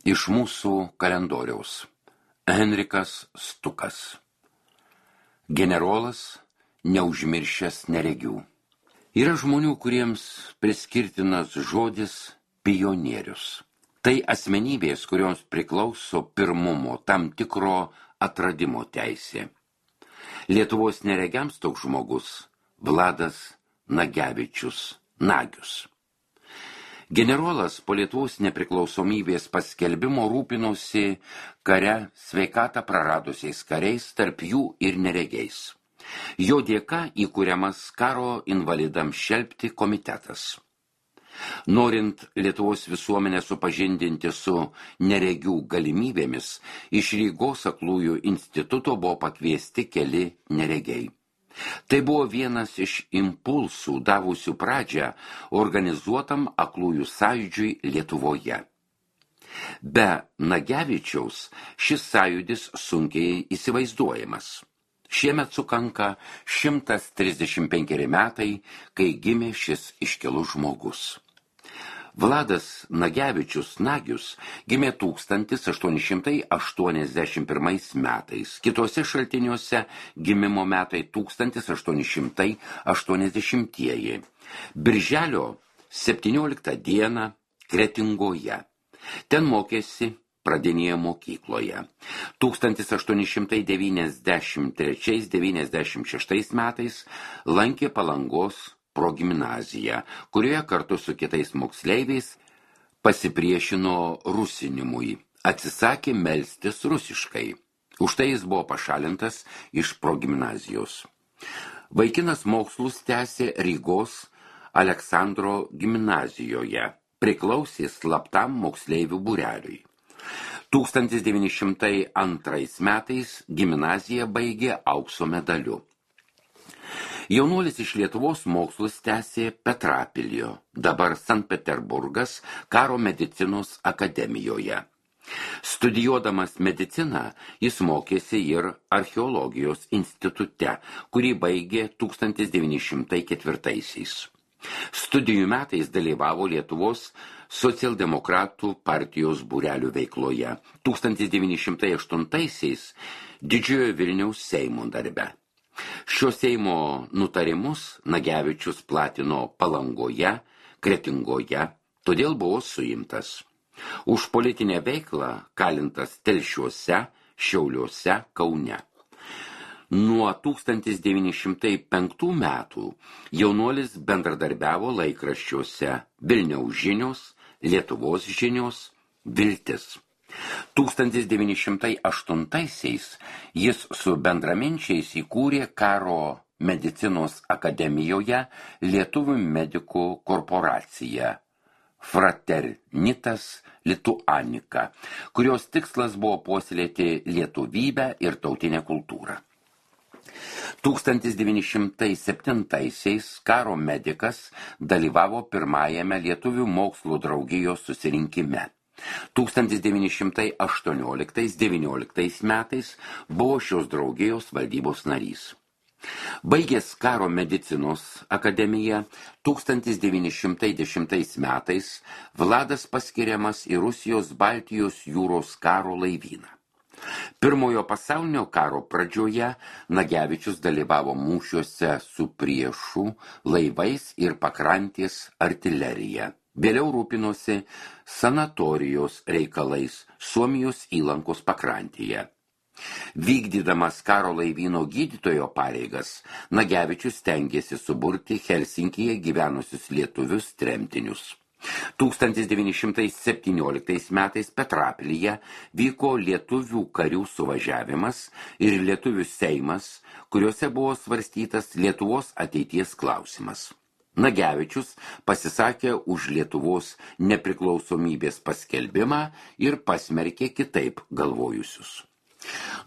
Iš mūsų kalendoriaus. Henrikas Stukas. Generolas, neužmiršęs neregių. Yra žmonių, kuriems priskirtinas žodis pionierius. Tai asmenybės, kurioms priklauso pirmumo, tam tikro atradimo teisė. Lietuvos neregiams toks žmogus Vladas Nagevičius Nagius. Generolas po Lietuvos nepriklausomybės paskelbimo rūpinosi kare sveikatą praradusiais kariais, tarp jų ir neregiais. Jo dėka įkuriamas karo invalidams šelpti komitetas. Norint Lietuvos visuomenę supažindinti su neregių galimybėmis, iš Rygos aklųjų instituto buvo pakviesti keli neregiai. Tai buvo vienas iš impulsų davusių pradžią organizuotam aklųjų sąjūdžiui Lietuvoje. Be Nagevičiaus šis sąjūdis sunkiai įsivaizduojamas. Šiemet sukanka 135 metai, kai gimė šis iškilus žmogus. Vladas Nagevičius Nagius gimė 1881 metais, kitose šaltiniuose gimimo metai 1880-ieji. Birželio 17 dieną Kretingoje. Ten mokėsi pradinėje mokykloje. 1893-96 metais lankė Palangos progimnaziją, kurioje kartu su kitais moksleiviais pasipriešino rusinimui, atsisakė melstis rusiškai. Už tai jis buvo pašalintas iš progimnazijos. Vaikinas mokslus tęsė Rygos Aleksandro gimnazijoje, priklausė slaptam moksleivių būreliui. 1902 metais gimnaziją baigė aukso medaliu. Jaunuolis iš Lietuvos mokslus tęsė Petrapiljo, dabar Sankt Peterburgas, karo medicinos akademijoje. Studijuodamas mediciną, jis mokėsi ir archeologijos institute, kurį baigė 1904. Studijų metais dalyvavo Lietuvos socialdemokratų partijos būrelių veikloje, 1908 Didžiojo Vilniaus Seimo darbe. Šio Seimo nutarimus Nagevičius platino Palangoje, Kretingoje, todėl buvo suimtas. Už politinę veiklą kalintas Telšiuose, Šiauliuose, Kaune. Nuo 1905 metų jaunuolis bendradarbiavo laikraščiuose Vilniaus žinios, Lietuvos žinios, Viltis. 1908 jis su bendraminčiais įkūrė karo medicinos akademijoje Lietuvių medikų korporaciją Fraternitas Lituanica, kurios tikslas buvo puoselėti lietuvybę ir tautinę kultūrą. 1907 karo medikas dalyvavo pirmajame Lietuvių mokslo draugijos susirinkime. 1918-19 metais buvo šios draugijos valdybos narys. Baigęs karo medicinos akademiją, 1910 metais Vladas paskiriamas į Rusijos Baltijos jūros karo laivyną. Pirmojo pasaulinio karo pradžioje Nagevičius dalyvavo mūšiuose su priešu, laivais ir pakrantės artilerija. Vėliau rūpinosi sanatorijos reikalais Suomijos įlankos pakrantėje. Vykdydamas karo laivyno gydytojo pareigas, Nagevičius stengėsi suburti Helsinkyje gyvenusius lietuvius tremtinius. 1917 metais Petrapilyje vyko lietuvių karių suvažiavimas ir lietuvių seimas, kuriuose buvo svarstytas Lietuvos ateities klausimas. Nagevičius pasisakė už Lietuvos nepriklausomybės paskelbimą ir pasmerkė kitaip galvojusius.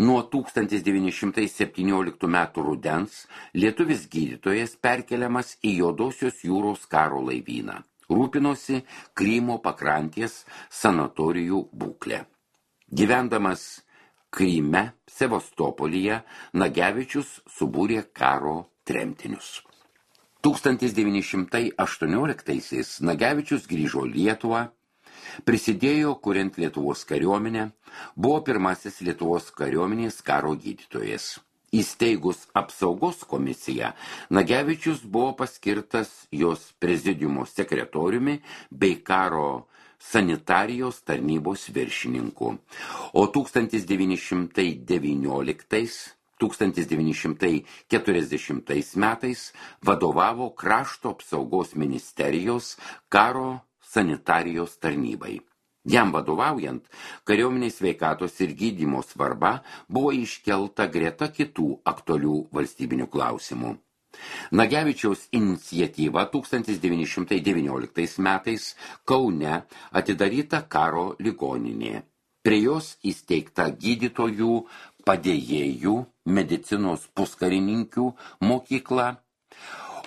Nuo 1917 metų rudens lietuvis gydytojas perkeliamas į Juodosios jūros karo laivyną. Rūpinosi Krymo pakrantės sanatorijų būklę. Gyvendamas Kryme, Sevastopolyje, Nagevičius subūrė karo tremtinius. 1918 Nagevičius grįžo Lietuvą, Prisidėjo kuriant Lietuvos kariuomenę, buvo pirmasis Lietuvos kariuomenės karo gydytojas. Įsteigus apsaugos komisiją, Nagevičius buvo paskirtas jos prezidiumo sekretoriumi bei karo sanitarijos tarnybos viršininku, o 1919–1940 metais vadovavo krašto apsaugos ministerijos karo sanitarijos tarnybai. Jam vadovaujant, kariuomenės sveikatos ir gydymo svarba buvo iškelta greta kitų aktualių valstybinių klausimų. Nagevičiaus iniciatyva 1919 metais Kaune atidaryta karo ligoninė. Prie jos įsteigta gydytojų, padėjėjų, medicinos puskarininkių mokykla,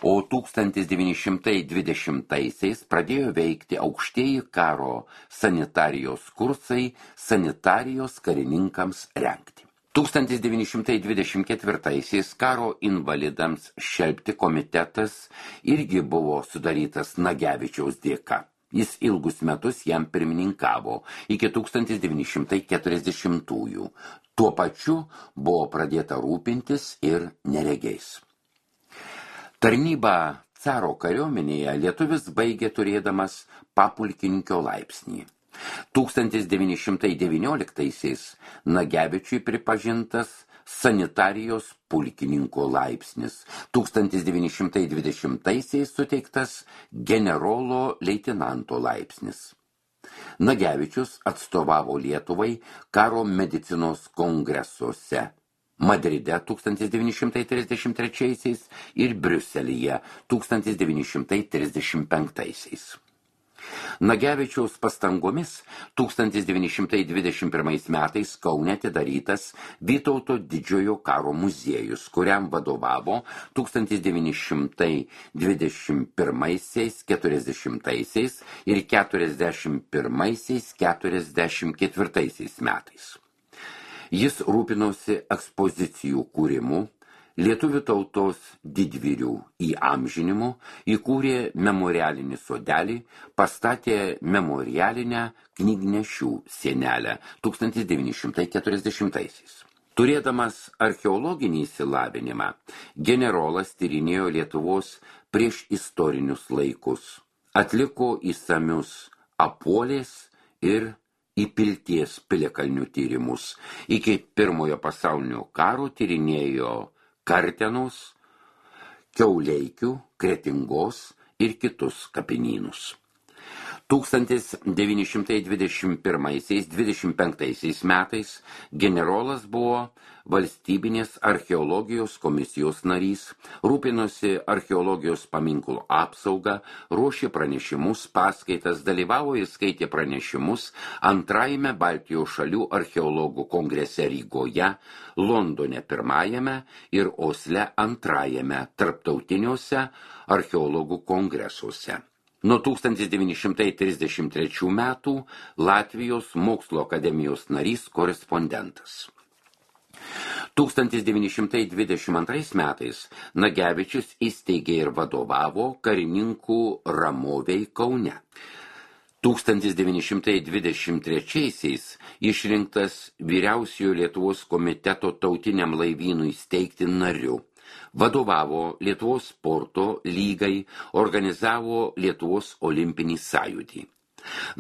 o 1920-aisiais pradėjo veikti aukštieji karo sanitarijos kursai sanitarijos karininkams rengti. 1924-aisiais karo invalidams šelpti komitetas irgi buvo sudarytas Nagevičiaus dėka. Jis ilgus metus jam pirmininkavo iki 1940-ųjų. Tuo pačiu buvo pradėta rūpintis ir neregiais. Tarnybą caro kariuomenėje lietuvis baigė turėdamas papulkininkio laipsnį. 1919-aisiais Nagevičiui pripažintas sanitarijos pulkininko laipsnis, 1920-aisiais suteiktas generolo leitenanto laipsnis. Nagevičius atstovavo Lietuvai karo medicinos kongresuose Madride 1933 ir Briuselyje 1935. Nagevičiaus pastangomis 1921 metais Kaune atidarytas Vytauto didžiojo karo muziejus, kuriam vadovavo 1921–40 ir 41–44 metais. Jis rūpinosi ekspozicijų kūrimu, lietuvių tautos didvyrių įamžinimu, įkūrė memorialinį sodelį, pastatė memorialinę knygnešių sienelę 1940-aisiais. Turėdamas archeologinį išsilavinimą, generolas tyrinėjo Lietuvos prieš istorinius laikus, atliko išsamius Apuolės ir Įpilties piliakalnių tyrimus. Iki Pirmojo pasaulinio karo tyrinėjo Kartenos, Kiauleikių, Kretingos ir kitus kapinynus. 1921–25 metais generolas buvo valstybinės archeologijos komisijos narys, rūpinosi archeologijos paminklų apsaugą, ruošė pranešimus, paskaitas, dalyvavo ir skaitė pranešimus antrajame Baltijos šalių archeologų kongrese Rygoje, Londone pirmajame ir Osle antrajame tarptautiniuose archeologų kongresuose. Nuo 1933 metų Latvijos mokslo akademijos narys korespondentas. 1922 metais Nagevičius įsteigė ir vadovavo karininkų ramovei Kaune. 1923-aisiais išrinktas vyriausiojo Lietuvos komiteto tautiniam laivynui steigti nariu. Vadovavo Lietuvos sporto lygai, organizavo Lietuvos olimpinį sąjūdį.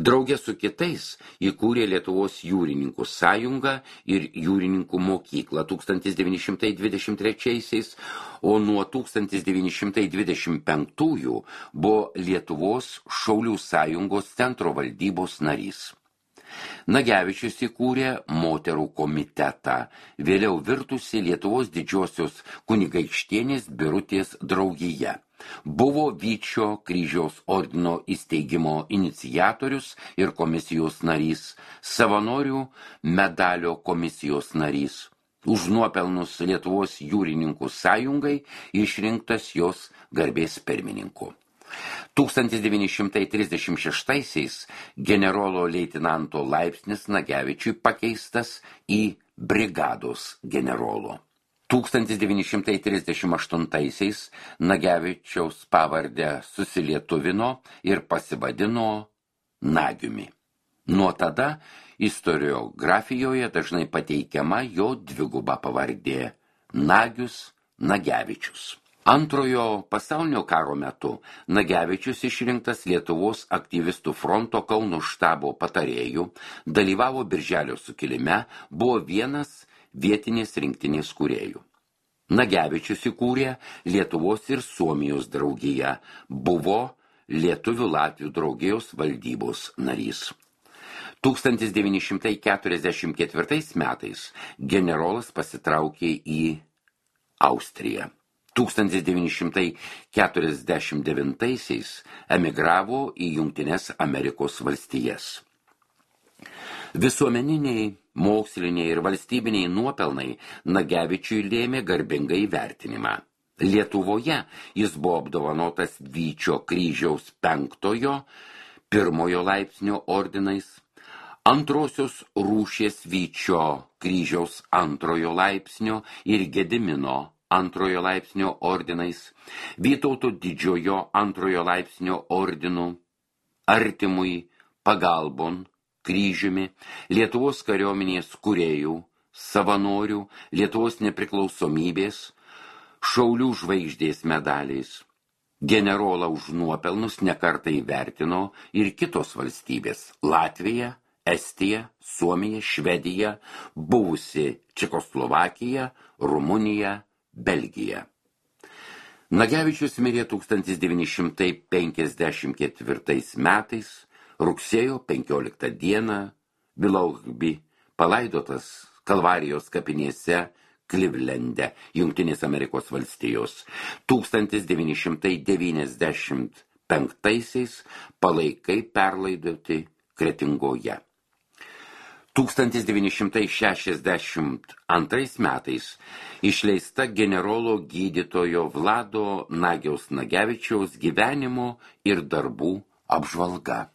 Drauge su kitais įkūrė Lietuvos jūrininkų sąjungą ir jūrininkų mokyklą 1923-aisiais, o nuo 1925-ųjų buvo Lietuvos šaulių sąjungos centro valdybos narys. Nagevičius įkūrė moterų komitetą, vėliau virtusi Lietuvos didžiosios kunigaikštienės Birutės draugija. Buvo Vyčio kryžiaus ordino įsteigimo iniciatorius ir komisijos narys, savanorių medalio komisijos narys. Už nuopelnus Lietuvos jūrininkų sąjungai išrinktas jos garbės pirmininku. 1936-aisiais generolo leitenanto laipsnis Nagevičiui pakeistas į brigados generolo. 1938-aisiais Nagevičiaus pavardę susilietuvino ir pasivadino Nagiumi. Nuo tada istoriografijoje dažnai pateikiama jo dviguba pavardė – Nagius Nagevičius. Antrojo pasaulinio karo metu Nagevičius išrinktas Lietuvos aktyvistų fronto Kauno štabo patarėjų, dalyvavo Birželio sukilime, buvo vienas vietinės rinktinės kūrėjų. Nagevičius įkūrė Lietuvos ir Suomijos draugiją, buvo Lietuvių Latvių draugijos valdybos narys. 1944 metais generolas pasitraukė į Austriją. 1949 emigravo į Jungtines Amerikos valstijas. Visuomeniniai, moksliniai ir valstybiniai nuopelnai Nagevičiui lėmė garbingą įvertinimą. Lietuvoje jis buvo apdovanotas Vyčio kryžiaus 5-ojo, 1-ojo laipsnio ordinais, antrosios rūšies Vyčio kryžiaus 2-ojo laipsnio ir Gedimino 2-ojo laipsnio ordinais, Vytauto didžiojo 2-ojo laipsnio ordinų, artimui pagalbon kryžiumi, Lietuvos kariuomenės kūrėjų, savanorių, Lietuvos nepriklausomybės, Šaulių žvaigždės medaliais. Generolą už nuopelnus nekartą įvertino ir kitos valstybės – Latvija, Estija, Suomija, Švedija, buvusi Čekoslovakija, Rumunija, Belgija. Nagevičius mirė 1954 metais, rugsėjo 15 dieną, Vilaughby, palaidotas Kalvarijos kapinėse Klivlende, Jungtinės Amerikos valstijos. 1995 palaikai perlaidoti Kretingoje. 1962 metais išleista generolo gydytojo Vlado Nagiaus Nagevičiaus gyvenimo ir darbų apžvalga.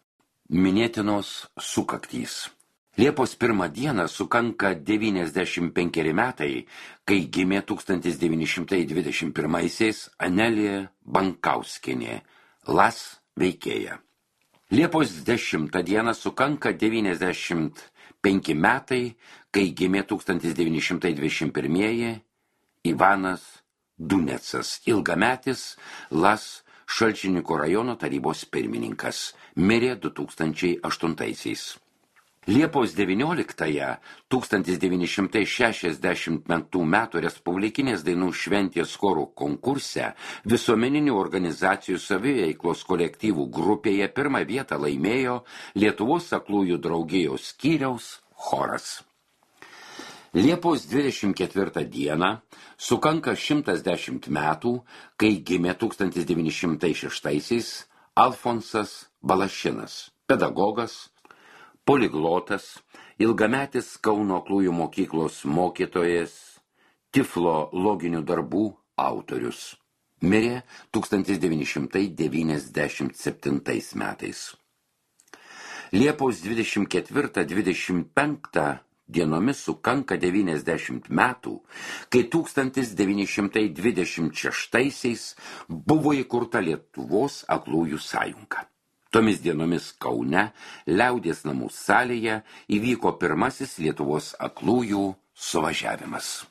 Minėtinos sukaktys. Liepos 1 dieną sukanka 95 metai, kai gimė 1921 Anelė Bankauskienė, LAS veikėja. Liepos 10 dieną sukanka 95 metai, kai gimė 1921 Ivanas Dunecas, ilgametis LAS Šalčininkų rajono tarybos pirmininkas, mirė 2008. Liepos 19-ąją 1965 metų Respublikinės dainų šventės chorų konkurse visuomeninių organizacijų saviveiklos kolektyvų grupėje 1 vietą laimėjo Lietuvos aklųjų draugijos skyriaus choras. Liepos 24 dieną sukanka 110 metų, kai gimė 1906 Alfonsas Balašinas, pedagogas, poliglotas, ilgametis Kauno aklųjų mokyklos mokytojas, tiflo loginių darbų autorius. Mirė 1997 metais. Liepos 24-25 dienomis sukanka 90 metų, kai 1926 buvo įkurta Lietuvos aklųjų sąjunga. Tomis dienomis Kaune, Liaudies namų salėje, įvyko pirmasis Lietuvos aklųjų suvažiavimas.